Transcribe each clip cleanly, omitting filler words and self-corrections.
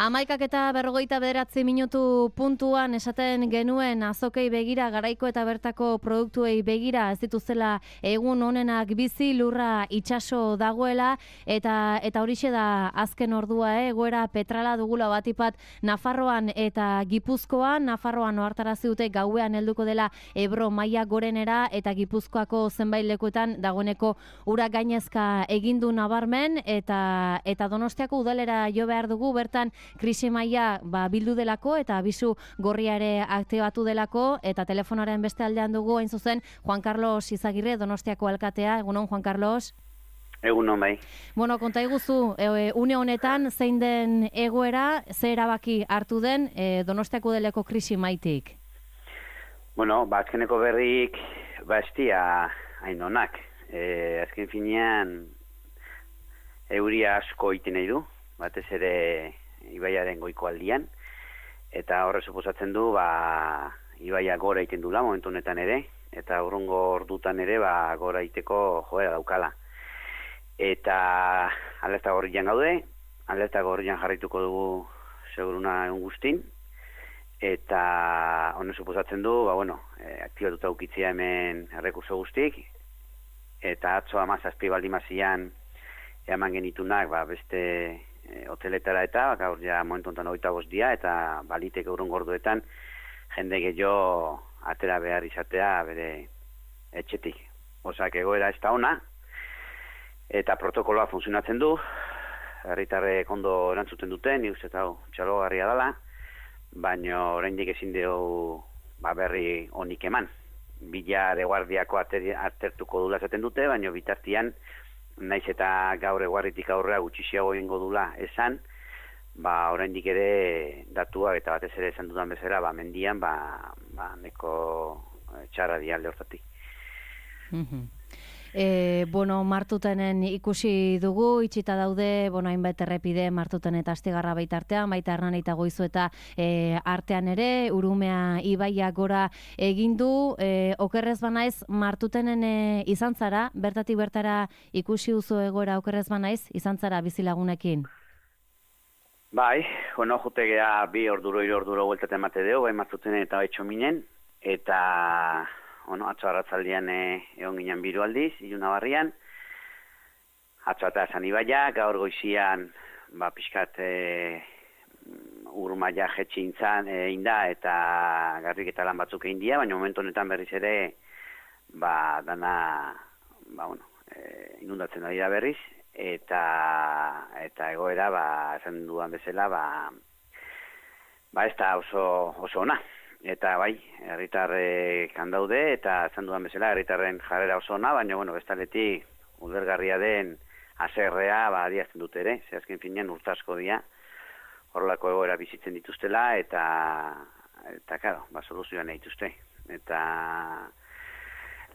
11:49 puntuan esaten genuen azokei begira, garaiko eta bertako produktuei begira, ez dituzela egun onenak bizi, lurra itsaso dagoela, eta horixe da azken ordua, egoera petrala dugula batipat Nafarroan eta Gipuzkoan. Nafarroan ohartarazi dute gauean helduko dela Ebro maila gorenera, eta Gipuzkoako zenbait lekuetan dagoeneko ura gainezka egindu nabarmen, eta Donostiako udalera jo behar dugu, bertan krisi maila bildu delako eta abisu gorria ere aktibatu delako, eta telefonaren beste aldean dugu hain zuzen Juan Carlos Izagirre, Donostiako alkatea. Egunon, Juan Carlos. Egunon, bai. Bueno, konta iguzu, une honetan zein den egoera, ze erabaki hartu den Donostiako udeleko krisi maitik? Bueno, azkeneko berrik estia hain onak. Azken finean euria asko iten nahi du, batez ere ibaiaren goiko aldian, eta horre suposatzen du ibaia gora iten dula momentu honetan ere, eta urrungo ordutan ere gora iteko joera daukala. Eta alerta gorrian gaude, alerta gorrian jarrituko dugu seguruna egun guztin, eta honen suposatzen du, aktibatuta ukitzia hemen errekurso guztik, eta atzo 17 baldimazian eman genitunak beste hoteletara eta gaur ja momentu honetan 25 dia, eta baliteke urrungo orduetan jende gehiago atera behar izatea bere etxetik. Osak egoera ez da ona, eta protokoloa funtzionatzen du, herritarrek ondo erantzuten duten, nik uste eta txalogarria dela, baina oraindik ezin dugu berri onik eman. Bila de guardiako atertuko dula esaten dute, baina bitartian naiz eta gaur eguarritik aurrera gutxixiago egingo dula esan, oraindik ere datuak eta batez ere esan dudan bezala, mendian, neko txarra dialde hortatik. Martutenen ikusi dugu, itxita daude, hainbat errepide Martuten eta Astigarra baitartean, baita Hernani eta Goizueta artean ere, Urumea ibaia gora egindu. Okerrez banaiz, Martutenen izan zara, bertatik bertara ikusi duzu egoera okerrez banaiz, izan zara bizilagunekin? Bai, jutegea 2 orduro, 3 orduro bueltaten emate deo, Martutenen eta Baitxominen, eta atzo arratzaldian egon ginen biru aldiz, iluna barrian, atzo eta esan ibaia, gaur goizian, pixkat urmaia jetxintzan inda, eta garrik eta lan batzuk egin dia, baina momentu honetan berriz ere, dana, inundatzen ari da berriz, eta egoera, esan dudan bezala, ez da oso ona. Eta herritarrek handaude, eta esan dudan bezala, herritarren jarrera oso ona, baina, bestaletik ulergarria den haserrea, adiazten dute ere, ze azken finean urtasko dira, horrelako egoera bizitzen dituztela, eta soluzioan dituzte. Eta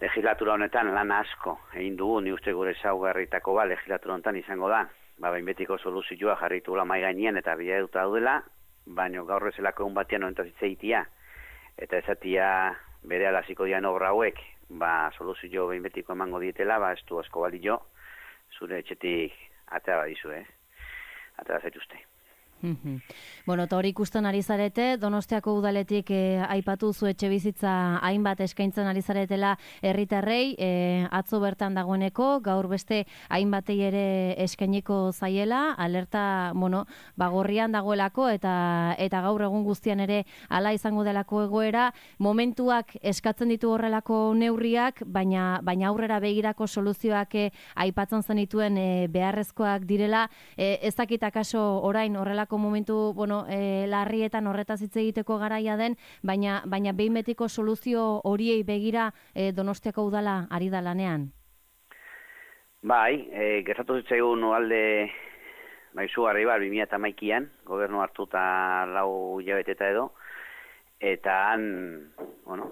legislatura honetan lan asko egin dugu, ni uste gure ezaugarritako legislatura honetan izango da, bainbetiko soluzioa jarritugula mahai gainean eta biladuta daudela, baina gaur ezelako egun batean honetaz hitz egitea, eta esatia bere alaziko dian obra hauek, soluzio behinbetiko emango dietela, ez du asko balio, zure etxetik atera badizu, atera zaituzte. Eta hori ikusten ari zarete, Donostiako udaletik aipatu zu etxe bizitza hainbat eskaintzen ari zaretela herritarrei, atzo bertan dagoeneko, gaur beste hainbatei ere eskainiko zaiela, alerta, gorrian dagoelako, eta gaur egun guztian ere hala izango delako egoera, momentuak eskatzen ditu horrelako neurriak, baina aurrera begirako soluzioak aipatzen zenituen beharrezkoak direla, ez dakit akaso orain horrelako momentu, larrietan horretaz hitz egiteko garaia den, baina behin betiko soluzio horiei begira Donostiako udala ari da lanean. Gertatu zitzaigun alde izugarri 2011an, gobernu hartuta 4 hilabeteta edo, eta han,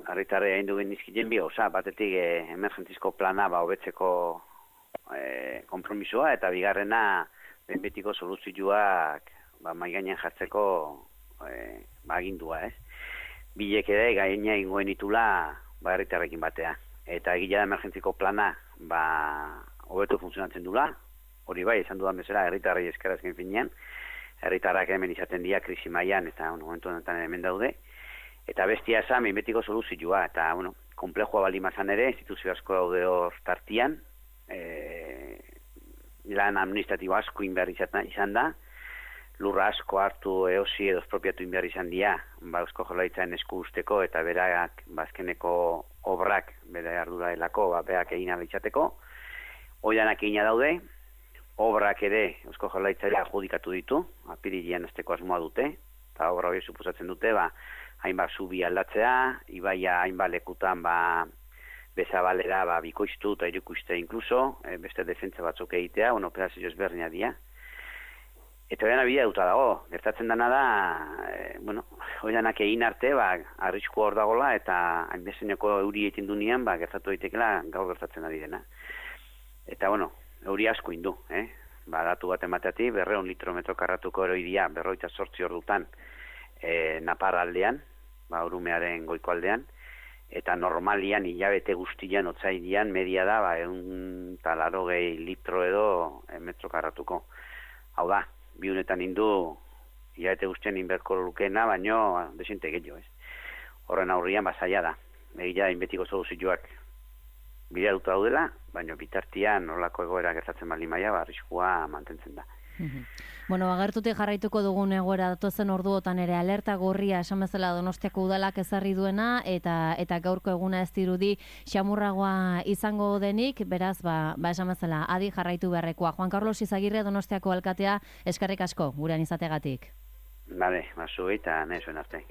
herritarrei egin du genizkien bi gauza, batetik emergentizko plana hobetzeko konpromisoa, eta bigarrena behin betiko soluzioak mahai gainean jartzeko agindua, Bilek ere gaina ingoen itula herritarrekin batea. Eta egila da emergentziko plana hobeto funtzionatzen dula, hori esan dudan bezala herritarrei eskarazken finean, herritarrak hemen izaten dira krisi mailan eta momentu honetan hemen daude. Eta bestia esan, betiko soluzioa, eta, komplejua balimazan ere, instituzio asko daude hor tartian, lan administratibo asko inbehar izan da, lurra asko hartu eosi edo espropiatu inbehar izan dira, Eusko Jaurlaritzaren esku usteko, eta berak, azkeneko obrak, bere ardura delako, berak egin izateko, oidanak egina daude, obrak ere Eusko Jaurlaritzari adjudikatu ditu, apirilean hasteko asmoa dute, eta obra hori suposatzen dute, hainbat zubi aldatzea, ibaia hainbat lekutan bezabalera bikoiztu eta irukuste inkluso, beste defentsa batzuk egitea, operazio ezberdina dira. Eta hori bidea duta dago, gertatzen dena da, horianak egin arte, arrisku hor dagola, eta hainbezeneko euri egiten du nian, gertatu daitekela gaur gertatzen ari dena. Eta, euri asko indu, datu bat emateatik, 200 litrometro karratuko eroidia, 48 ordutan, Napar aldean, Urumearen goiko aldean, eta normalian hilabete guztian, otsailean, media da, 180 litro edo metro karratuko. Hau da, biunetan indu, hilabete guztian inberko lukena, baino, desente gehiago, Horren aurrian, zaila da. Egia inbetiko soluzioak bilaruta daudela, baino bitartian nolako egoera gertatzen baldin maila, arriskua mantentzen da. Agertutik jarraituko dugun egoera datozen orduotan ere alerta gorria esan bezala Donostiako udalak ezarri duena eta gaurko eguna ez dirudi xamurragoa izango denik, beraz, esan bezala adi jarraitu beharrekoa. Juan Carlos Izagirre Donostiako alkatea, eskerrik asko gurean izategatik. Bale, zuei eta nahi zuen arte.